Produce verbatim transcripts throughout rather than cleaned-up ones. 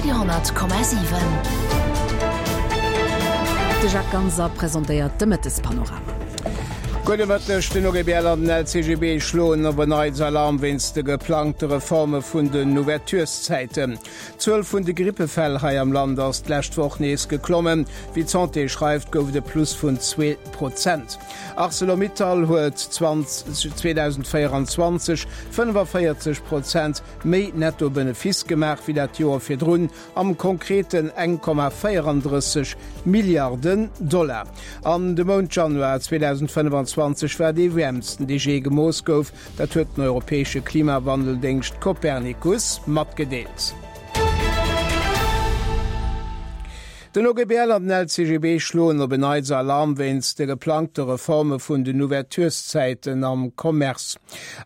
Radio honnert Komma siwen. De Jacques Ganser presentéiert de Mëttespanorama. Gudde Mëtteg, Den O G B L an den L C G B schloen op en Neits Alarm wéinst de geplangte Reforme vun den Ouvertureszäiten. D'Zuel vun de Grippefäll hei am Land ass d'lescht Woch nees geklommen. Wéi d'Santé schreift, gouf et e Plus vun zwee Prozent. Arcelor-Mittal huet zweedausendvéierenzwanzeg fënnefavéierzeg Prozent méi Netto-Benefice gemaach wéi dat Joer virdrun, am Konkreten eng Komma véierandrësseg Milliarden Dollar. An de Mount Januar zweedausendfënnefenzwanzeg war dee wäermsten, dee jee gemooss gouf, dat huet den europäesche Klimawandeldéngscht Copernicus matgedeelt. Den O G B L an den L C G B schloen op en Neits Alarm wéinst de geplangte Reforme vun den Ouvertureszäiten am Commerce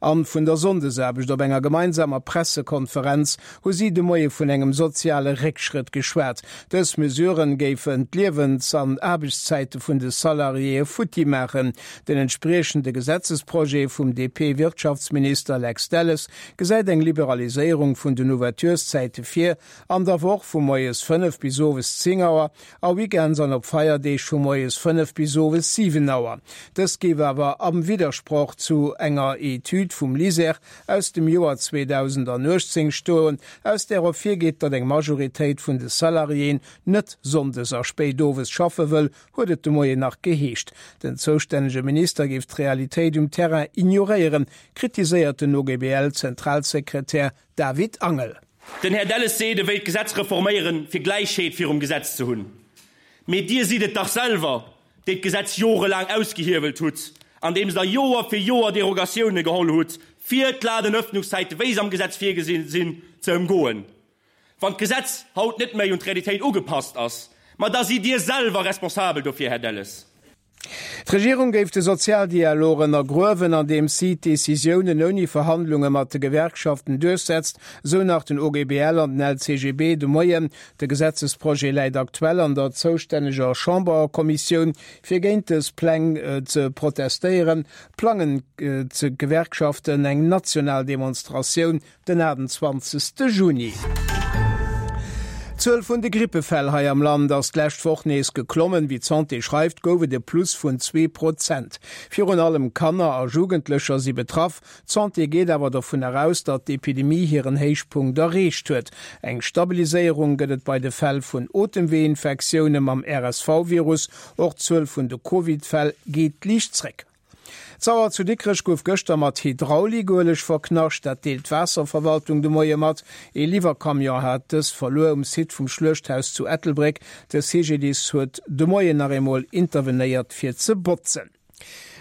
an vun der Sonndesaarbecht. Op enger gemeinsamer Pressekonferenz hu si de Moie vun engem soziale Réckschrëtt geschwat. Dës Mesuren géifen d'Liewens an Aarbechtszäite vun de Salariéë futti maachen. Den entspriechende Gesetzesprojet vum D P-Wirtschaftsminister Lex Delles gesäit eng Liberaliséierung vun den Ouvertureszäite vir, an der Woch vu moies fënnef bis owes zéng Auer a weekends an op Feierdeeg vu moies fënnef bis owes siwen Auer. Dëst géif awer am Widdersproch zu enger Etüd vum LISER aus dem Joer zweedausendanuechtzéng stoen, aus där ervirgeet, datt eng Majoritéit vun de Salariéen net sonndes a spéit owes schaffe wëll, huet et de Moien nach geheescht. Den zoustännege Minister géif d'Realitéit um Terrain ignoréieren, kritiséiert den O G B L-Zentralsekretär David Angel. Den Här Delles seet, e wéilt d'Gesetz reforméieren, fir Gläichheet virum Gesetz ze hunn. Mee Dir sidd et dach selwer, déi d'Gesetz jorelaang ausgehiewelt hutt, andeems Der Joer fir Joer Derogatioune geholl hutt, fir d'Ladenëffnungszäiten, wéi se am Gesetz virgesi sinn, ze ëmgoen. Wann d'Gesetz haut net méi un d'Realitéit ugepasst ass, ma da sidd Dir selwer responsabel dofir, Här Delles. D'Regierung géif de Sozialdialog ënnergruewen, andeems si d'Decisiounen ouni Verhandlunge mat de Gewerkschaften duerchsetzt, sou nach den O G B L an den L C G B de Moien. De Gesetzesprojet läit aktuell an der zoustänneger Chamberkommissioun. Fir géint dës Pläng ze protestéieren, plangen d'Gewerkschaften eng national Demonstratioun den achtundzwanzegste Juni. D'Zuel vun de Grippefäll hei am Land ass d'lescht Woch nees geklommen. Wéi d'Santé schreift, gouf et e Plus vun zwee Prozent. Virun allem Kanner a Jugendlecher si betraff. D'Santé geet awer dovun eraus, datt d'Epidemie hiren Héichpunkt erreecht huet. Eng Stabiliséierung gëtt et bei de Fäll vun Otemweeinfektioune mam R S V-Virus. Och d'Zuel vun de Covid-Fäll geet liicht zréck. D'Sauer zu Dikrech gouf gëschter mat Hydraulikueleg verknascht, dat deelt d'Waasserverwaltung de Moie mat. Ee Liwwercamion hat dës verluer um Site vum Schluechthaus zu Ettelbréck. De C G D I S huet de Moien nach eemol intervenéiert fir ze botzen.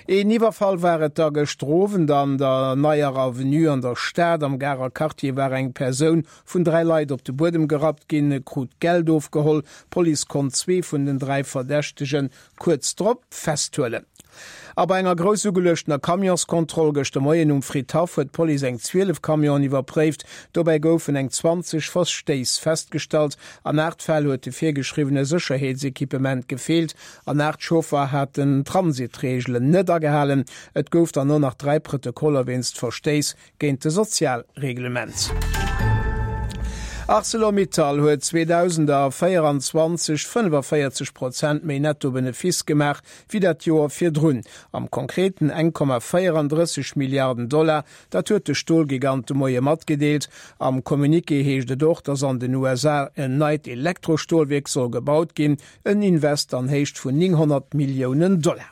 Een Iwwerfall war et da gëschter Owend an der Neier Avenue an der Stad. Am Garer Quartier war eng Persoun vun dräi Leit op de Buedem gerappt ginn, krut Geld ofgeholl. D'Police konnt zwee vun den dräi Verdächtege kuerz drop festhuelen. A bei enger grouss ugeluechtener Camionskontroll gëschter Moien um Fridhaff huet d'Police eng zwielef Camionen iwwerpréift. Dobäi goufen eng zwanzeg Verstéiss festgestallt. An aacht Fäll huet de virgeschriwwene Sécherheetsequipement gefeelt. An aacht Chauffer haten d'Transitreegelen net agehalen. Et gouf dann och nach dräi Protokoller wéinst Verstéiss géint de Sozialreglement. Arcelor-Mittal huet zweedausendvéierenzwanzeg fënnefavéierzeg Prozent méi Netto-Benefice gemaach wéi dat Joer virdrun, am Konkreten eng Komma véierandrësseg Milliarden Dollar, dat huet de Stolgigant de Moie matgedeelt. Am Communiqué heescht et och, datt an den U S A en neit Elektrostolwierk soll gebaut ginn, en Invest an Héicht vun nénghonnert Milliounen Dollar.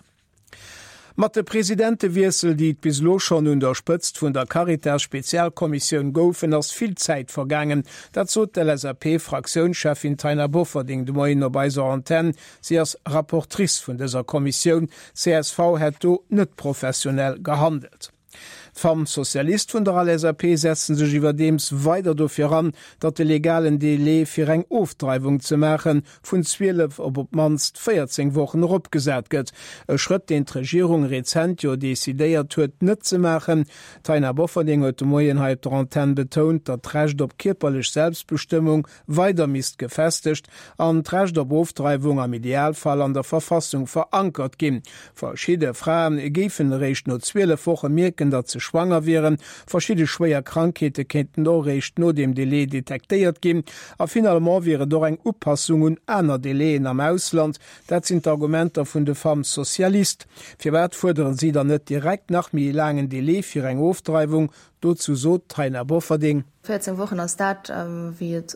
Mat de Presidentewiessel, déi et bis elo schonn un der Spëtzt vun der Caritas-Spezialkommissioun goufen, ass vill Zäit vergaangen. Dat sot d'L S A P-Fraktiounscheffin Taina Bofferding de Moien op eiser Antenn. Si ass Rapportrice vun dëser Kommissioun. C S V hätt do net professionell gehandelt. D'Femmes Socialistes vun der L S A P setzen sech iwwerdeems weider dofir an, datt de legalen Delai fir eng Ofdreiwung ze maachen vun zwielef op op d'mannst véierzéng Wochen eropgesat gëtt. E Schrëtt, deen d'Regierung rezent jo decidéiert huet net ze maachen. D'Taina Bofferding huet de Moien hei op der Antenn betount, datt d'Recht op kierperlech Selbstbestëmmung weider misst gefestegt an d'Recht op Ofdreiwung am Idealfall an der Verfassung verankert ginn. Verschidde Frae géifen eréischt no zwielef Woche mierken, datt se schwanger wieren. Verschidde schwéier Krankheete kéinten och eréischt no deem Delai detektéiert ginn. A finalement wier et och eng Upassung un aner Delaien am Ausland. Dat sinn d'Argumenter vun de Femmes socialistes. Firwat fuerderen si dann net direkt nach méi laangen Delai fir eng Ofdreiwung? Dozou sot d'Taina Bofferding. Véierzéng Wochen ass dat, wéi et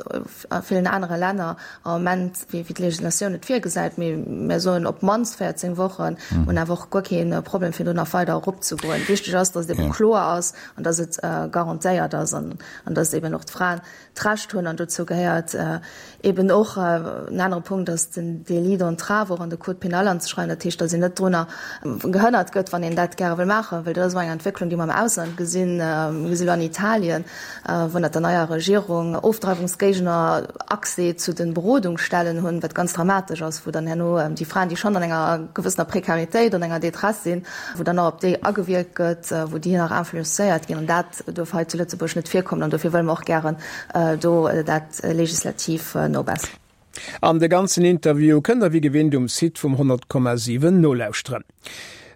a villen anere Länner am Moment, wéi d'Legislatioun et virgesäit. Mee mir soen op d'mannst véierzéng Wochen, hunn awer och guer kee Problem, fir do nach weider eropzegoen. Wichteg ass, datt et ebe kloer ass an datt et garantéiert ass an datt eben och d'Fraen d'Recht hunn. An dozou gehéiert eben och en anere Punkt, ass den Délit d'entrave och an de Code pénal anzeschreiwen. Dat heescht, datt een net drunner gehënnert gëtt, wann een dat gäre wëll maachen, well dat ass och eng Entwécklung, déi mer am Ausland gesinn. Mir gesi lo an Italien, wou ënnert der neier Regierung Ofdreiwungsgéigner Accès zu de Berodungsstellen hunn, wat ganz dramatesch ass, wou dann herno déi Fraen, déi schonn an enger gewëssener Prekaritéit, an enger Détresse sinn, wou dann nach op déi agewierkt gëtt, wou déi nach influencéiert ginn. An dat duerf hei zu Lëtzebuerg net virkommen an dofir wëlle mer och gären do dat legislativ nobesseren. An de ganzen Interview kënnt der wéi gewinnt um Site vum honnert Komma siwen nolauschteren.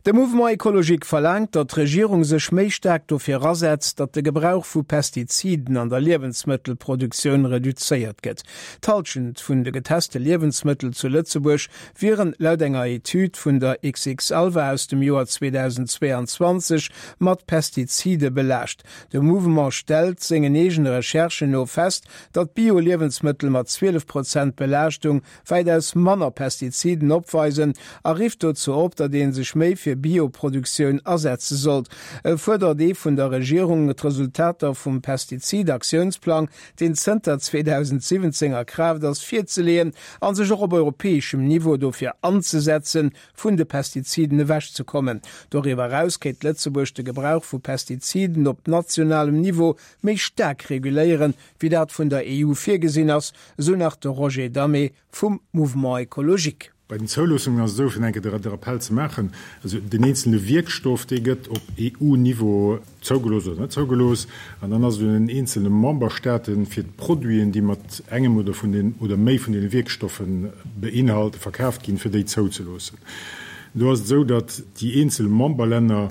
De Mouvement Ecologique verlaangt, datt d'Regierung sech méi staark dofir asetzt, datt de Gebrauch vu Pestiziden an der Liewensmëttelproduktioun reduzéiert gëtt. D'Hallschent vun de geteste Liewensmëttel zu Lëtzebuerg wieren laut enger Etüd vun der X X Alva aus dem Joer zweedausendzweeanzwanzeg mat Pestizide belaascht. De Mouvement stellt sengen eegene Recherchen no fest, datt Bio-Liewensmëttel mat zwielef Prozent Belaaschtung wäitaus manner Pestiziden opweisen a rifft dozou op, datt ee sech méi fir Bioproduktioun asetze sollt. E fuerdert ee vun der Regierung, d'Resultater vum Pestizid-Aktiounsplang, deen zënter zweedausendsiwwenzéng a Kraaft ass, virzeleeën a sech och op europäeschem Niveau dofir anzesetzen, vun de Pestiziden ewechzekommen. Doriwwer eraus kéint Lëtzebuerg de Gebrauch vu Pestiziden op nationalem Niveau méi staark reguléieren, wéi dat vun der E U virgesinn ass, esou nach de Roger Damé vum Mouvement Ecologique. Bei den Zouloossungen ass et esou, fir eng Kéier de Rappell ze maachen, also deen eenzele Wierkstoff, dee gëtt op E U-Niveau zougelooss oder net zougelooss, an dann ass et un den eenzele Memberstaaten, fir d'Produiten, déi mat engem oder vun den oder méi vun deene Wierkstoffe beinhalte verkaaft ginn, fir déi zouzeloossen. Do ass et esou, datt déi eenzel Memberlänner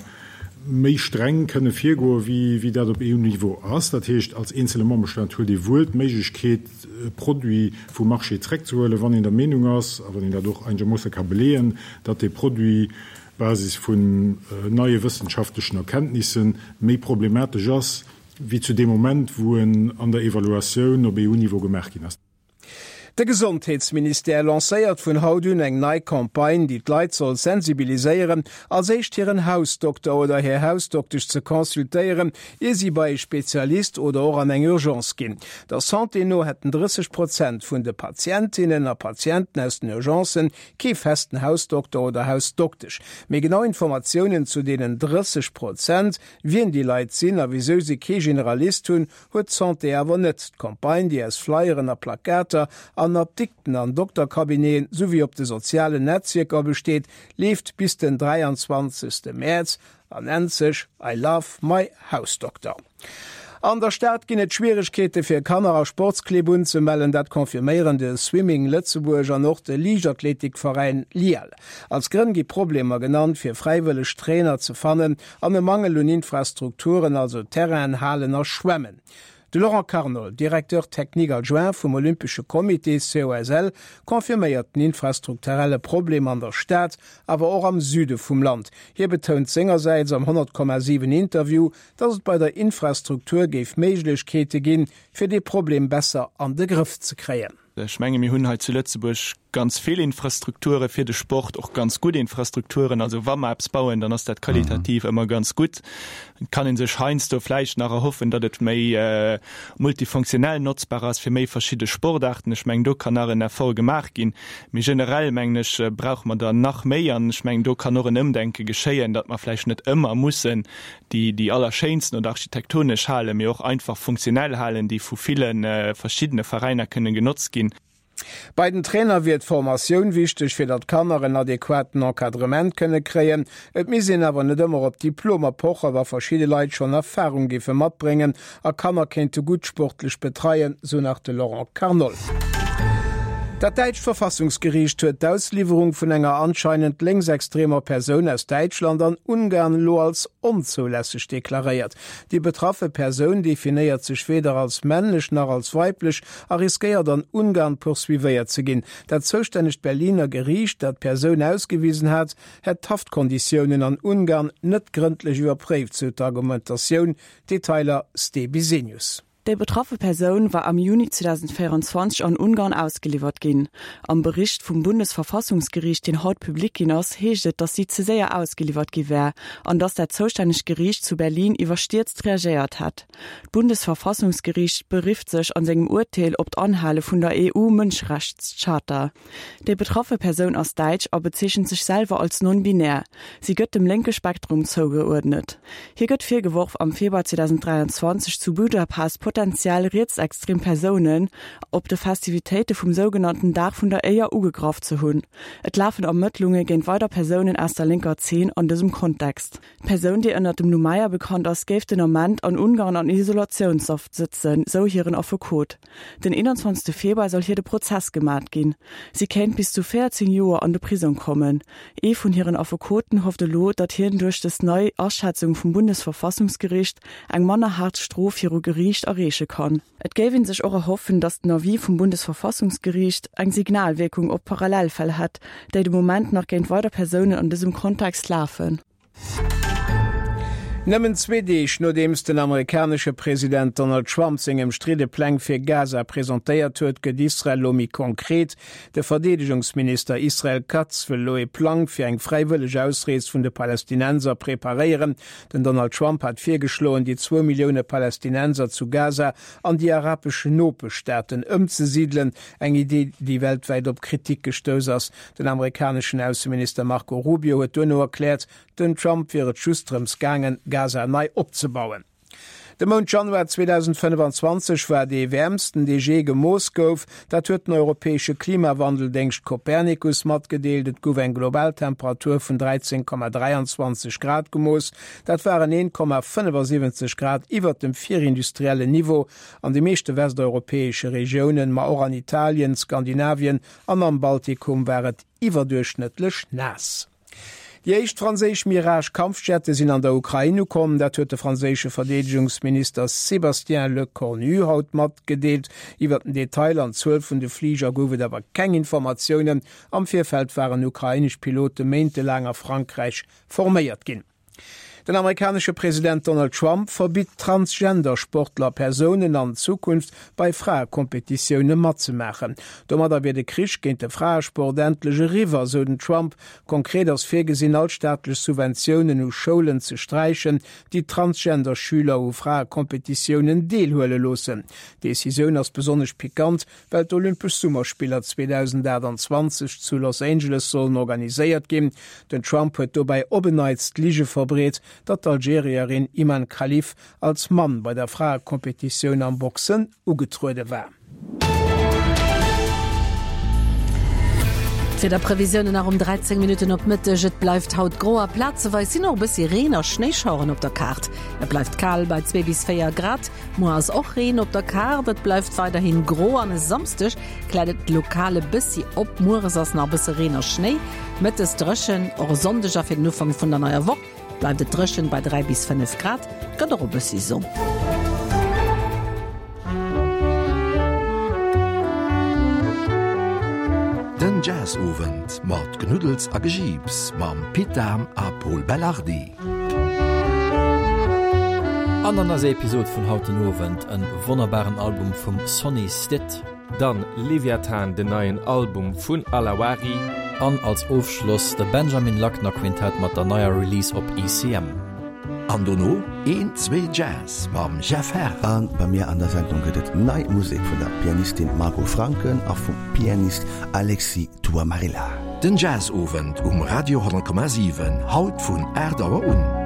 méi streng kënne virgoe wéi dat op E U-Niveau ass. Dat heescht, als eenzele Memberstaat huet ee wuel d'Méiglechkeet, e Produit vum Marché zréckzehuelen, wann een der Meenung ass, a wann een dat och einegermoosse ka beleeën, datt dee Produit Basis vun neie wëssenschaftlechen Erkenntnissen méi problematesch ass wéi zu deem Moment, wou en an der Evaluatioun op E U-Niveau gemaach ginn ass. De Gesondheetsministère lancéiert vun haut un eng nei Campagne, déi d'Leit soll sensibiliséieren, als éischt hiren Hausdokter oder hir Hausdoktesch ze consultéieren, ier si bei e Spezialist oder och an eng Urgence ginn. Der Santé no hätten drësseg Prozent vun de Patientinnen a Patienten aus den Urgencen kee festen Hausdokter oder Hausdoktesch. Méi genau Informatiounen zu deenen drësseg Prozent, wien déi Leit sinn a wisou si kee Generalist hunn, huet d'Santé awer net. D'Campagne, déi aus Flyeren a Plakater an Apdikten an Doktercabineten souwéi op de sozialen Netzwierker besteet, leeft bis den dräianzwanzegste Mäerz a nennt sech I love my Hausdokter. An der Stad ginn et Schwieregkeete fir Kanner a Sportsclibb unzemellen, dat confirméieren de Swimming Lëtzebuerg an och de Liichtathletikveräin LIAL. Als Grënn gi Problemer genannt, fir fräiwëlleg Trainer ze fannen an e Mangel un Infrastrukturen, also Terrainen, Halen a Schwämmen. De Laurent Carnol, Directeur technique adjoint vum Olympesche Comité, C O S L, confirméiert den infrastrukturelle Problem an der Stad, awer och am Süde vum Land. Hie betount sengersäits am honnert Komma siwen Interview, datt et bei der Infrastruktur géif Méiglechkeete ginn, fir dee Problem besser an de Grëff ze kréien. Ech menge mir hunn hei zu Lëtzebuerg ganz vill Infrastrukture fir de Sport, och ganz gutt Infrastrukturen. Also wa mer eppes bauen, dann ass dat qualitativ ëmmer ganz gutt. Et kann ee sech heiansdo vläicht nach erhoffen, datt et méi multifunktionell notzbar ass fir méi verschidde Sportaarten. Ech mengen, do kann nach en Effort gemaach ginn. Mee generell, mengen ech, brauche mer der nach méi an ech mengen, do kann och en Ëmdenke geschéien, datt mer vläicht net ëmmer mussen déi déi allerschéinsten oder architektonesch Hale, mee och einfach funktionell Halen, déi vu ville verschiddene Veräiner kënne genotzt ginn. Bei den Trainer wier d'Formatioun wichteg, fir datt d'Kanner en adequaten Encadrement kënne kréien. Et misst een awer net ëmmer op Diplomer pochen, wa verschidde Leit schonn Erfarung géife matbréngen a Kanner kéinte gutt sportlech betreien, sou nach de Laurent Carnol. Dat däitscht Verfassungsgeriicht huet d'Ausliwwerung vun enger anscheinend lénksextremer Persoun aus Däitschland an Ungarn elo als onzoulässeg deklaréiert. Déi betraffe Persoun definéiert sech weder als männlech nach als weiblech a riskéiert an Ungarn poursuivéiert ze ginn. Dat zoustännegt Berliner Geriicht, dat d'Persoun ausgewisen hat, hätt d'Haftkonditiounen an Ungarn net grëndlech iwwerpréift, sou d'Argumentatioun. Detailer Ste Bisenius. Déi betraffe Persoun war am Juni zweedausendvéierenzwanzeg an Ungarn ausgeliwwert ginn. Am Bericht vum Bundesverfassungsgeriicht, deen haut public ginn ass, heescht et, datt si ze séier ausgeliwwert gi wär an datt dat zoustännegt Geriicht zu Berlin iwwerstierzt reagéiert hätt. D'Bundesverfassungsgeriicht berifft sech an sengem Urteel op d'Anhale vun der E U-Mënscherechtscharta. Déi betraffe Persoun ass däitsch a bezeechent sech selwer als non-binär. Si gëtt dem lénke Spektrum zougeuerdnet. Hir gëtt virgeworf, am Februar zweedausendräianzwanzeg zu Budapest potentiell rietsextrem Persounen op de Festivitéite vum sougenannten Dag vun der Éier ugegraff ze hunn. Et lafen Ermëttlunge géint weider Persounen aus der lénker Zeen an dësem Kontext. D'Persoun, déi ënnert dem Numm Maya bekannt ass, géif den Ament an Ungarn an Isolatiounshaft sëtzen, sou hiren Affekot. Den eenanzwanzegste Februar soll hir de Prozess gemat ginn. Si kéint bis zu véierzéng Joer an de Prisong kommen. Ee vun hiren Affekoten hofft elo, datt hien duerch dës nei Aschätzung vum Bundesverfassungsgericht eng manner haart Strof viru Geriicht erreeche kann. Et géif ee sech och erhoffen, datt den Avis vum Bundesverfassungsgeriicht eng Signalwierkung op Parallelfäll hätt, déi de Moment nach géint weider Persounen an dësem Kontext lafen. Nëmmen zwee Deeg nodeems den amerikanesche President Donald Trump seng ëmstridde Pläng fir Gaza presentéiert huet, gëtt Israel elo méi konkret. De Verdeedegungsminister Israel Katz wëll elo ee Plang fir eng fräiwëlleg Ausrees vun de Palästinenser preparéieren. Den Donald Trump hat virgeschloen, déi zwou Millioune Palästinenser zu Gaza an déi arabesch Nopeschstaaten ëmzesidelen, eng Idee, déi weltwäit op Kritik gestouss ass. Den amerikaneschen Ausseminister Marco Rubio huet duerno erkläert, Den Trump wier et just drëms gaangen, Gaza nei opzebauen. De Mount Januar zweedausendfënnefanzwanzeg war dee wäermsten, dee jee gemooss gouf. Dat huet den europäesche Klimawandeldéngscht Copernicus matgedeelt. Et gouf eng global Temperatur vun dräizéng Komma dräianzwanzeg Grad gemooss. Dat waren een Komma fënnefasiwwenzeg Grad iwwert dem virindustriellen Niveau. An de meeschte westeuropäesche Regiounen, ma och an Italien, Skandinavien an am Baltikum war et iwwerduerchschnëttlech naass. Déi éischt franséisch Mirage-Kampfjette sinn an der Ukrain ukomm. Dat huet de franséische Verdeedegungsminister Sébastien Lecornu haut matgedeelt. Iwwer den Detail an d'Zuel vun de Fliger gouf et awer keng Informatiounen. Am Virfeld waren ukrainesch Pilote méintelaang a Frankräich forméiert ginn. Den amerikanesche President Donald Trump verbitt Transgender-Sportler Persounen an Zukunft bei Fraekompetitioune matzemaachen. Domadder wier de Krich géint de Fraesport endlech eriwwer, sou den Trump. Konkret ass virgesinn, all staatlech Subventiounen u Schoulen ze sträichen, déi Transgender-Schüler u Fraekompetitiounen deelhuele loossen. D'Decisioun ass besonnesch pikant, well d'Olympesch Summerspiller zweedausendachtanzwanzeg zu Los Angeles sollen organiséiert ginn. Den Trump huet dobäi op en Neits d'Lige verbreet, datt d'Algerierin Imane Khelif als Mann bei der Fraekompetitioun am Boxen ugetruede war. D'Wiederprevisiounen nach um dräizéng Minutten op Mëtteg, Et bleift haut gro a plazeweis sinn och e bëssi Reen a Schnéischaueren op der Kaart. Et bleift kal bei zwee bis véier Grad. Muer ass och Reen op der Kaart, et bleift weiderhin gro an e Samsdeg kläert et lokal e bëssi op. Mueres ass nach e bësse Reen a Schnéi, mëttes dréchen. Och e Sonndeg a fir den Ufank vun der neier Woch bleift et dréchen bei dräi bis fënnef Grad, et gëtt och e bëssi Sonn. Den Jazzowend mat Knuddels a Gejiips mam Pit Dahm a Pol Belardi. An an eiser Episod vun haut den Owend en wonnerbaren Album vum Sonny Stitt. Dann Leviathan, den neien Album vun Alawari. An als Ofschloss de Benjamin Lackner Quintett mat der neier Release op E C M. An dono een, zwee Jazz mam Jeff Herr. A bei mir an der Sendung gëtt et nei Musek vun der Pianistin Margot Franken a vum Pianist Alexis Tuamarilla. Den Jazzowend um Radio honnert Komma siwen, haut vun aacht Auer un.